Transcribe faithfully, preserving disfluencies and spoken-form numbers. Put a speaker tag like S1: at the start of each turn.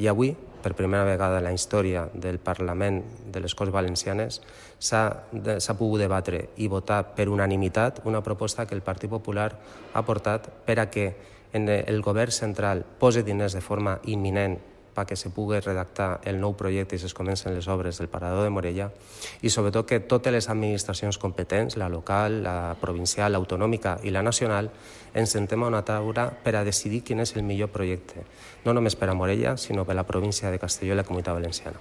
S1: I avui, per primera vegada en la història del Parlament de les Corts Valencianes, s'ha pogut debatre i votar per unanimitat una proposta que el Partit Popular ha portat per a que el govern central posi diners de forma imminent perquè se pugui redactar el nou projecte i es comencen les obres del Parador de Morella i sobretot que totes les administracions competents, la local, la provincial, l'autonòmica i la nacional, ens sentem a una taula per a decidir quin és el millor projecte, no només per a Morella, sinó per a la província de Castelló i la Comunitat Valenciana.